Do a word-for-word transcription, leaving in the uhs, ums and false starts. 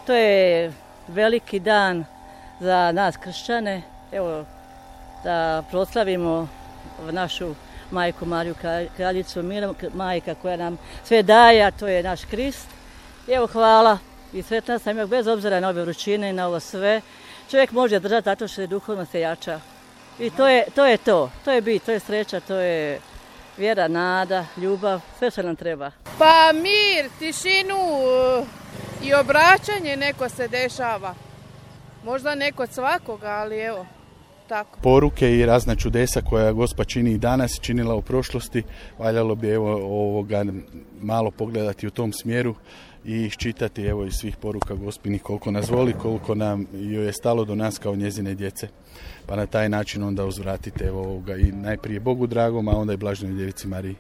To je veliki dan za nas kršćane. Evo, da proslavimo našu majku Mariju Kraljicu mira, majka koja nam sve daje, a to je naš Krist. I evo, hvala i sretna sam, bez obzira na ove vrućine i na ovo sve. Čovjek može držati zato što je duhovno se jača. I to je, to je to, to je bit, to je sreća, to je vjera, nada, ljubav, sve što nam treba. Pa mir, tišinu i obraćanje neko se dešava. Možda ne kod svakoga, ali evo, tako. Poruke i razna čudesa koja Gospa čini i danas, činila u prošlosti, valjalo bi evo ovoga malo pogledati u tom smjeru i iščitati evo iz svih poruka Gospinih koliko nas voli, koliko nam joj je stalo do nas kao njezine djece. Pa na taj način onda uzvratite evo ovoga i najprije Bogu dragom, a onda i Blaženoj Djevici Mariji.